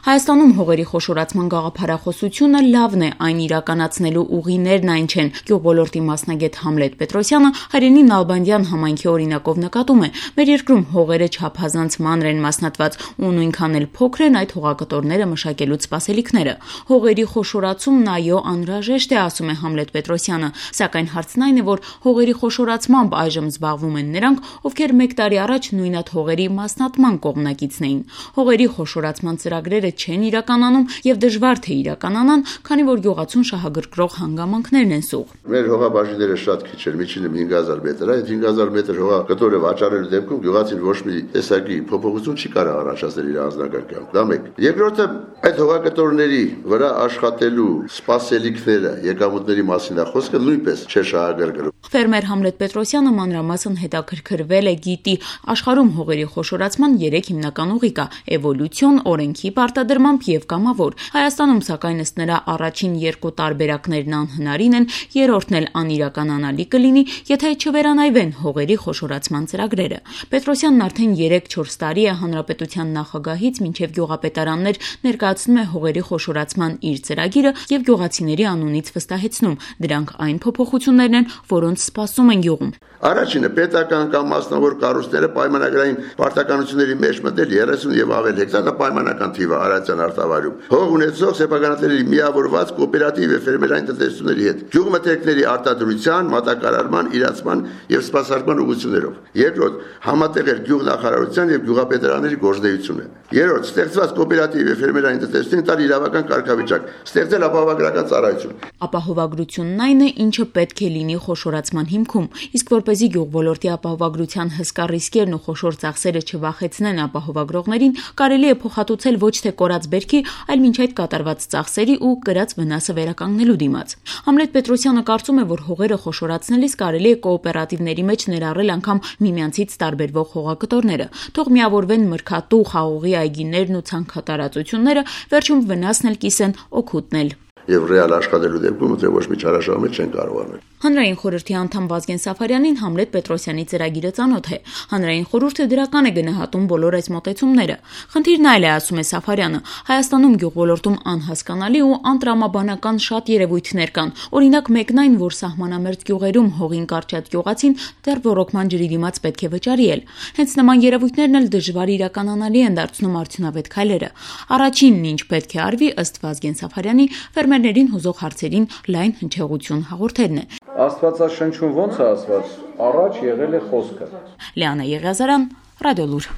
Հայաստանում հողերի խոշորացման գաղափարախոսությունը լավն է, այն իրականացնելու ուղիներն այն չեն։ Գյուղոլորտի մասնագետ Համլետ Պետրոսյանը Հայրենի Նալբանդյան համայնքի օրինակով նկատում է, մեր երկրում հողերը չափազանց մանր են մասնատված ու նույնքան էլ փոքր են այդ հողակտորները մշակելուց սպասելիքները։ Հողերի խոշորացումն այո անհրաժեշտ է, ասում է Համլետ Պետրոսյանը, սակայն հարցն այն է, որ հողերի խոշորացմամբ այժմ զբաղվում են նրանք, ովքեր 1 տարի առաջ նույնատ հողերի մասնատման կողմնակիցն էին։ Հողերի խոշորացման ծրագրերը չեն իրականանում եւ դժվար թե իրականանան, քանի որ գյուղացուն շահագրգռող հանգամանքներն են սուղ։ Մեր հողաբաժինները շատ քիչ են, միջինը 5000 մետր, այդ 5000 մետր հողակտորը վաճառելու դեպքում գյուղացին ոչ մի տեսակի փոփոխություն չի կարող առաջացնել իր անձնական կյանքում։ Դա մեկ։ Երկրորդը, այդ հողակտորների վրա աշխատելու սպասելիքները, եկամուտների մասին է խոսքը նույնպես չէ շահագրգռում։ Ֆերմեր Համլետ Պետրոսյանը մանրամասն հետաքրքրվել է, գիտի աշխարհում հողերի խոշորացման 3 հիմնական ուղի կա՝ էվոլյուցիոն, օրենքի պարտադրմամբ եւ կամավոր։ Հայաստանում սակայն ըստ նրա առաջին 2 տարբերակներն անհնարին են, երրորդն էլ անիրականանալի կլինի, եթե չվերանայվեն հողերի խոշորացման ծրագրերը։ Պետրոսյանն արդեն 3-4 տարի է հանրապետության նախագահից մինչև գյուղապետարաններ ներկայացնում է հողերի խոշորացման իր ծրագիրը եւ գյուղացիների անունից վստահեցնում, դրանք այն փոփոխություններն են, որոնց սպասում են գյուղում։ Առաջինը պետական կամ մասնավոր կառույցները պայմանագրային պարտականությունների մեջ մտնել 30 եւ ավել հեկտար պայմանական թիվը Արարատյան արտավայրում։ Հող ունեցող սեփականատերերի միավորված կոոպերատիվ եւ ֆերմերային տնտեսությունների հետ գյուղմթերքների արտադրության, մատակարարման, իրացման եւ սպասարկման ուղղություններով։ Երկրորդ, համատեղել գյուղնախարարության եւ գյուղապետարանների գործունեությունը։ Երրորդ, ստեղծված կոոպերատիվ եւ ֆերմերային տնտեսությունին տալ իրավական կարգավիճակ, ստեղծել ապահովագրական ծառայություն։ Ապահովագրությունն այն է, ինչը պետք է լինի խոշորացման հիմքում, իսկ որպեսզի գյուղոլորտի ապահովագրության հսկա ռիսկերն ու խոշոր ծախսերը չվախեցնեն ապահովագրողներին, կարելի է փոխհատուցել ոչ թե կորած բերքի, այլ մինչ այդ կատարված ծախսերի ու կրած վնասը վերականգնելու դիմաց։ Համլետ Պետրոսյանը կարծում է, որ հողերը խոշորացնելիս կարելի է կոոպերատիվների մեջ ներառել անգամ միմյանցից տարբերվող հողակտորները, թող միավորվեն մրգատու, խաղողի այգիներն ու ցանքատարածությունները, վերջում վնասն էլ կիսեն, օգուտն էլ։ Եվ ռեալ աշխատելու դեպքում ոչ մի չարաշահում չեն կարող անել։ Հանրային խորհրդի անդամ Վազգեն Սաֆարյանին Համլետ Պետրոսյանի ծրագիրը ծանոթ է։ Հանրային խորհուրդը դրական է գնահատում բոլոր այս մոտեցումները։ Խնդիրն այլ է, ասում է Սաֆարյանը, Հայաստանում գյուղոլորտում անհասկանալի ու անտրամաբանական շատ երևույթներ կան։ Օրինակ մեկն այն, որ սահմանամերձ գյուղերում հողին կարճած գյուղացին դեռ ոռոգման ջրի դիմաց պետք է վճարել։ Հենց նման երևույթներն էլ դժվար իրականանալի են դարձնում արդյունավետ քայլերը։ Առաջինն ինչ պետք է արվի, ըստ Վազգեն Սաֆարյանի, ֆերմերներին հուզող հարցերին լայն հնչեղություն հաղորդելն է։ Աստվածաշնչում ոնց է ասված, առաջ եղել է խոսքը։ Լիանա Եղիազարյան, Ռադիոլուր։